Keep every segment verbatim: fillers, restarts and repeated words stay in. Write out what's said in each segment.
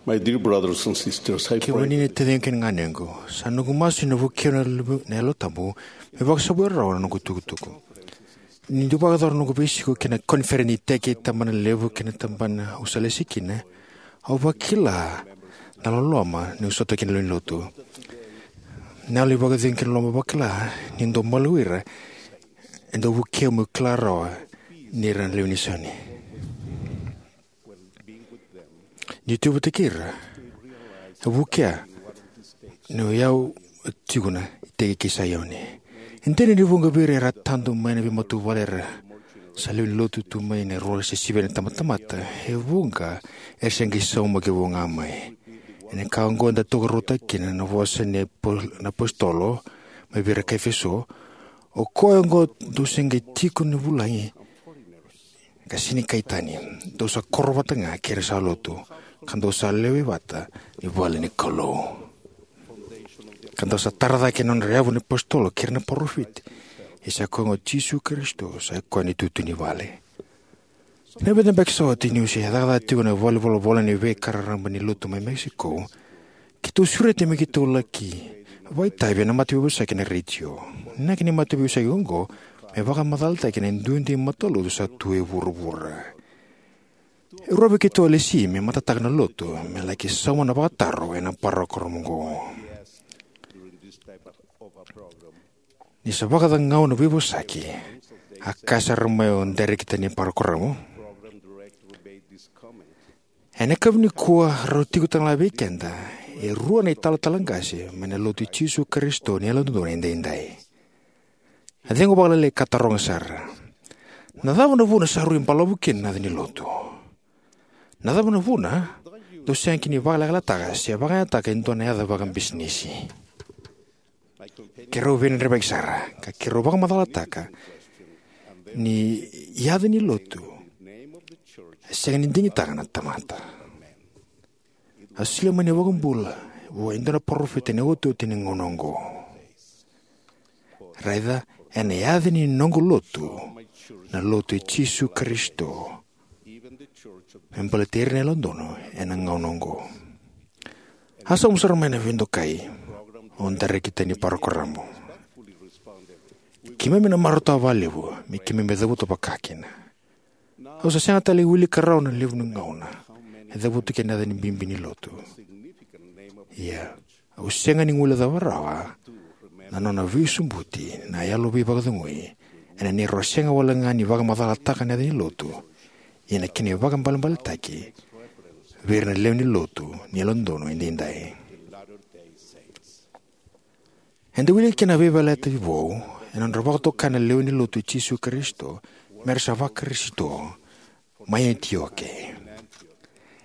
My dear brothers and sisters, I Kemuni pray na taciqu kei na ganequ, sa noqu masu ni na vukei au na Yalo Tabu me vakasavuya rawa na noqu itukutuku. Niu dau vakayacora na noqu veisiko ki na koniferedi ni iteki, tabanalevu kei na tabana au sa lesi kina, au vakila na loloma niu sota kina lewe ni lotu. Na yalo ni vakacegu kei na loloma vakila niu dau maliwai ira e dau vukei au meu kila rawa ni ra na lewe ni Saioni. Niu tu vata kei ira, e vukea niu yau tiko na iteki kei Saioni. E dina ni vuqa vei ira era tadu mai na veimatavuvale era sa lewe ni lotu tu mai na rua se sivia na tabatamata, e vuqa era se qai saumaki vou ga mai. Ena ka oqo eda tokaruataka kina na vosa ni apo-, na apositolo mai vei ira kai Efeso: O koya oqo dou se qai tiko ni vulagi ka sega ni kai tani, dou sa koro vata ga kei ira sa lotu, ka dou sa lewe vata ni vale ni Kalou, ka dou sa tara cake na nodra yavu na apositolo kei ira na parofita, ia sa koya ga o Jisu Karisito sa i koya na itutu ni vale. Na vica na yabaki sa oti niu se cakacaka tiko ena valenivolavola ni veika raraba ni lotu mai Mexico, keitou sureti me keitou laki vakaitavi ena mataveivosaki ena retio. Na inaki ni mataveivosaki oqo me vakamacalataki na duidui matalotu sa tu e vuravura. E rua vei keitou a lesi me matataka na lotu me laki sauma na vakataro ena parokaramu oqo. Ni sa vakacagau na veivosaki, a kaya sara mai o dairekita ni parokaramu: Ena yakavi nikua rau tiko talega vei keda e rua na italatala qase mai na Lotu i Jisu Karisito ni Yalododonu Edaidai. A cegu vakalailai ka taroga sara: Na cava na vuna sa rui balavu kina na yaca ni lotu? Na cava na vuna dou sega kina ni vakalekalekataka se vakayagataka e dua na yaca vakabisinisi? Keirau veidredrevaki sara, ka keirau vakamacalataka ni yaca ni lotu e sega ni digitaka na tamata. A solia mai na iVakabula vua e dua na parofita ena iotioti ni gauna oqo. Raica, ena yaca ni noqu lotu, na Lotu i Jisu Karisito, me baleti ira na Yalododonu ena gauna oqo. A sauma sara mai na veidokai o dairekita ni parokaramu: Keimami na marautaka vakalevu me keimami cavuta vakakina. Au sa sega tale ni wilika rawa na levu ni gauna e cavuta kina na yaca ni bibi ni lotu. Ia, au sega ni guilecava rawa na nona veisobuti na yalo veivakacegui ena neirau sega walega ni vakamacalataka na yaca ni lotu, ia na kena ivakabalebaletaki vei ira na lewe ni lotu ni Yalododonu Edaidai. Eda wilika kina na veiyalayalati vou ena nodra vakatokai na lewe ni Lotu i Jisu Karisito me ra sa Vakarisito mai Anitioke.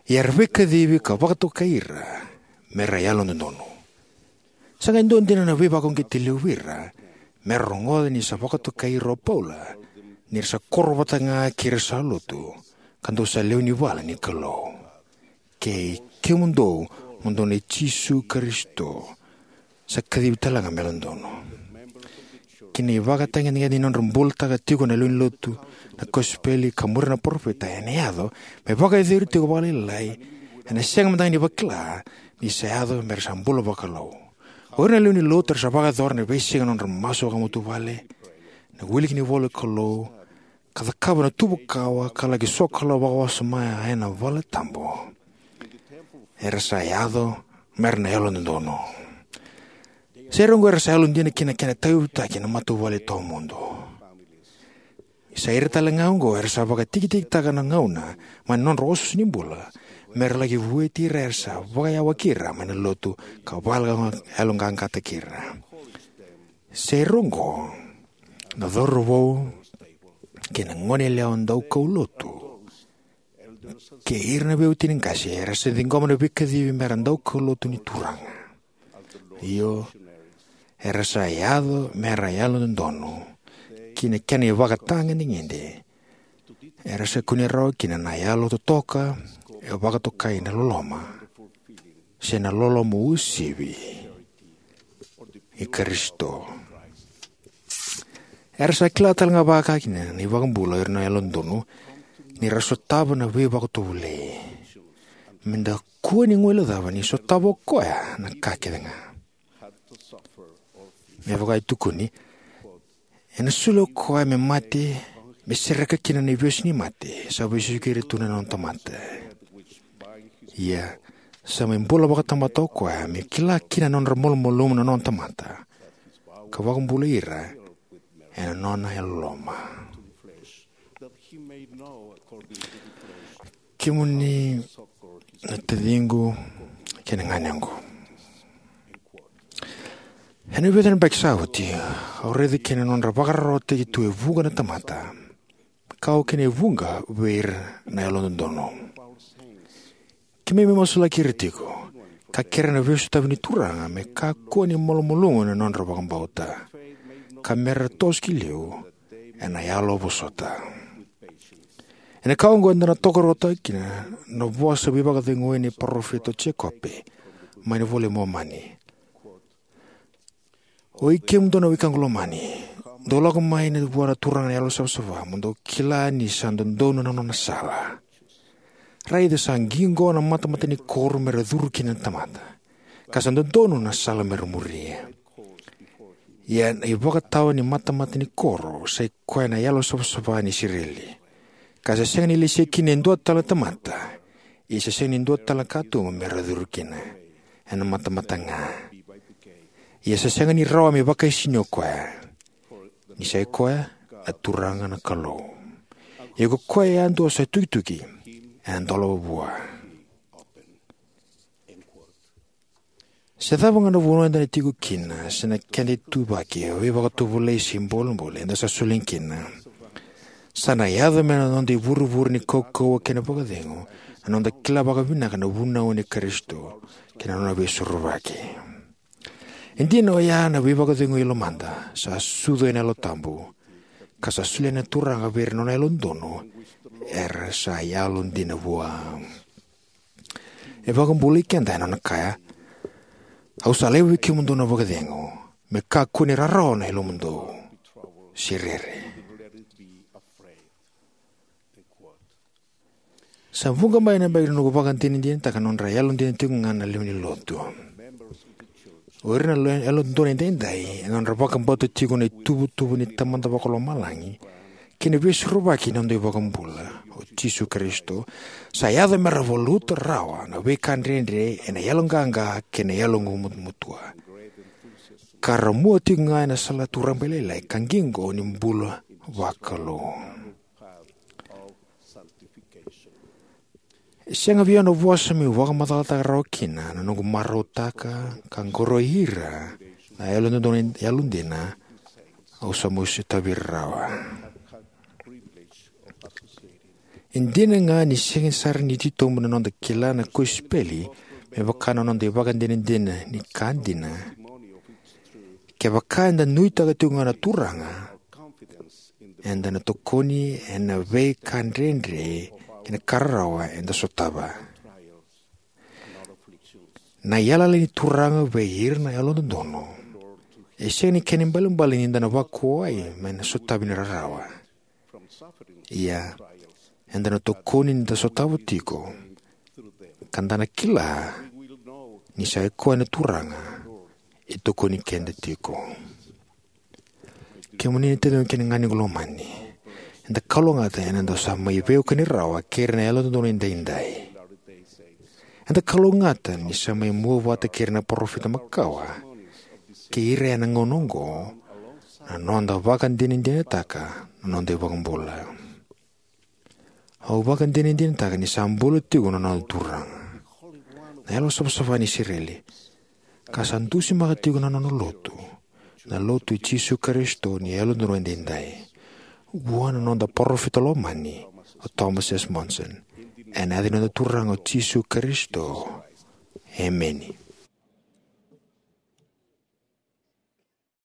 Ia era veikacivi ka vakatokai ira me ra yalododonu. Sa qai dua dina na veivakauqeti levu vei ira me ra rogoca ni sa vakatokai ira o Paula ni ra sa koro vata ga kei ira sa lotu, ka dou sa lewe ni vale ni Kalou. Kei kemudou, mo dou nei Jisu Karisito, sa kacivi talega me yalododonu. Ki na ivakatagedegede ni nodra bulataka tiko na lewe ni lotu na kosipeli ka muria na parofita, ena yaco me vakayacori tiko vakalailai, ena sega mada ga ni vakila ni sa yaco me ra sa bula vakalou. O ira na lewe ni lotu era sa vakayacora na veisiga na nodra masu vakamatavuvale, na wiliki ni ivola ni Kalou, ka cakava na tuva kawa, ka laki sokalou vakawasoma ena valetabu, era sa yaco me ra na yalododonu. Sa ira oqo era sa yalodina ki na kena tauyavutaki na matavuvale tawamudu. Sa ira talega oqo era sa vakatikitikitaka na gauna mai na nodra osooso ni bula me ra laki vueti ira era sa vakayawaki ira mai na lotu ka vakayaloqaqataki ira. Sa ira oqo na cauravou kei na goneyalewa daukaulotu kei ira na veiwatini qase era sa ciqoma na veikacivi me ra daukaulotu ni Turaga. Io, era sa yaco me ra yalododonu ki na kena ivakatagedegede. Era sa kunea rawa kina na yalo totoka e vakatokai na loloma, se na loloma uasivi i Karisito. Era sa kila talega vakakina na iVakabula o ira na yalododonu ni ra sotava na veivakatovolei. me da kua ni guilecava ni sotava o koya na ka kece ga. Me vaka e tukuni, ena soli o koya me mate, me sereka kina na ivesu ni mate sa vesuki ira tu na nona tamata. Ia, sa mai bula vakatamata o koya me kila kina na nodra malumalumu na nona tamata, ka vakabulai ira ena nona yalololoma. Kemuni na taciqu kei na ganequ, ena vica na yabaki sa oti, au raica kina na nodra vakararawataki tu e vuqa na tamata, ka oka kina e vuqa vei ira na yalododonu. Keimami masulaki ira tiko, ka kerea na veisotavi ni Turaga me kakua ni malumalumu na nodra vakabauta, ka mera toso ki liu ena yalo vosota. Ena ka oqo eda na tokaruataka kina na vosa veivakaceguya ni parofita o Jekope mai na iVola i Momani: Oi kemudou na wekaqu lomani, dou lako mai vua na Turaga na yalosavasava, mo dou kila ni sa dodonu na nona sala. Raica, sa qiqo na matamata ni koro mera curu kina na tamata, ka sa dodonu na sala mera muria. Ia na ivakatawa ni matamata ni koro sa i koya na yalosavasava ni Isireli, ka sa sega ni lesi kina e dua tale na tamata, ia sa sega ni dua tale na katuba mera curu kina, ena matamata ga. Ia sa sega ni rawa me vakaisini o koya, ni sa i koya na Turaga na Kalou. Ia ko koya yadua sa tukituki, ena dolava vua. Se cava ga na vanua eda na tiko kina, se na keda ituvaki, veivakatovolei se bolebole eda sa soli kina, sa na yaco mai na noda ivurevure ni kaukauwa kei na vakacegu na noda kila vakavinaka na vunau nei Karisito kei na nona veisorovaki. E dina oya na veivakacegui lomada sa sucu ena Yalo Tabu, ka sa solia na Turaga vei ira na nona yalododonu era sa yalodina vua. E vakabulai keda ena nona kaya: Au sa laiva vei kemudou na vakacegu, me kakua ni rarawa na yalomudou, se rere. Sa vuqa mai na yabaki na noqu vakadinadinataka na nodra yalodina tiko ga na lewe ni lotu. O ira na lo- yalododonu edaidai, ena nodra vakabauta tiko na ituvatuva ni Tamada Vakalomalagi kei na Veisorovaki ni noda iVakabula o Jisu Karisito, sa yaco mera valuta rawa na veika dredre ena yaloqaqa kei na yaloqu matumatua, ka ra mua tiko ga ena salatu rabailailai ka qiqo ni bula vakalou. E sega vei au na vosa meu vakamacalataka rawa kina na noqu marautaka ka qoroi ira na yalododonu yalodina au sa mai sotavi ira rawa. E dina ga ni sega sara ni titobu na noda kila na kosipeli me vaka na noda ivakadinadina ni ka dina, kevaka eda nuitaka tiko ga na Turaga, eda na tokoni ena veika dredre kei na ka rarawa eda sotava. Na yalayala ni Turaga vei ira na yalododonu e sega ni kena ibalebale ni da na vakuwai mai na sotavi ni rarawa. Ia, eda na tokoni ni da sotava tiko, ka da na kila ni sa i koya na Turaga e tokoni keda tiko. Kemuni na taciqu kei na ganequ lomani, eda kalougata ena dau sa mai veiwekani rawa kei ira na yalododonu edaidai. Eda kalougata ni sa mai mua vata kei ira na parofita makawa kei ira ena gauna oqo na noda vakadinadinataka na noda iVakabula. Au vakadinadinataka ni sa bula tiko na noda Turaga, na Yalosavasava ni Isireli, ka sa dusimaka tiko na nona lotu, na Lotu i Jisu Karisito ni Yalododonu Edaidai, vua na noda parofita lomani o Thomas S. Monson. Ena yaca ni noda Turaga o Jisu Karisito, emeni.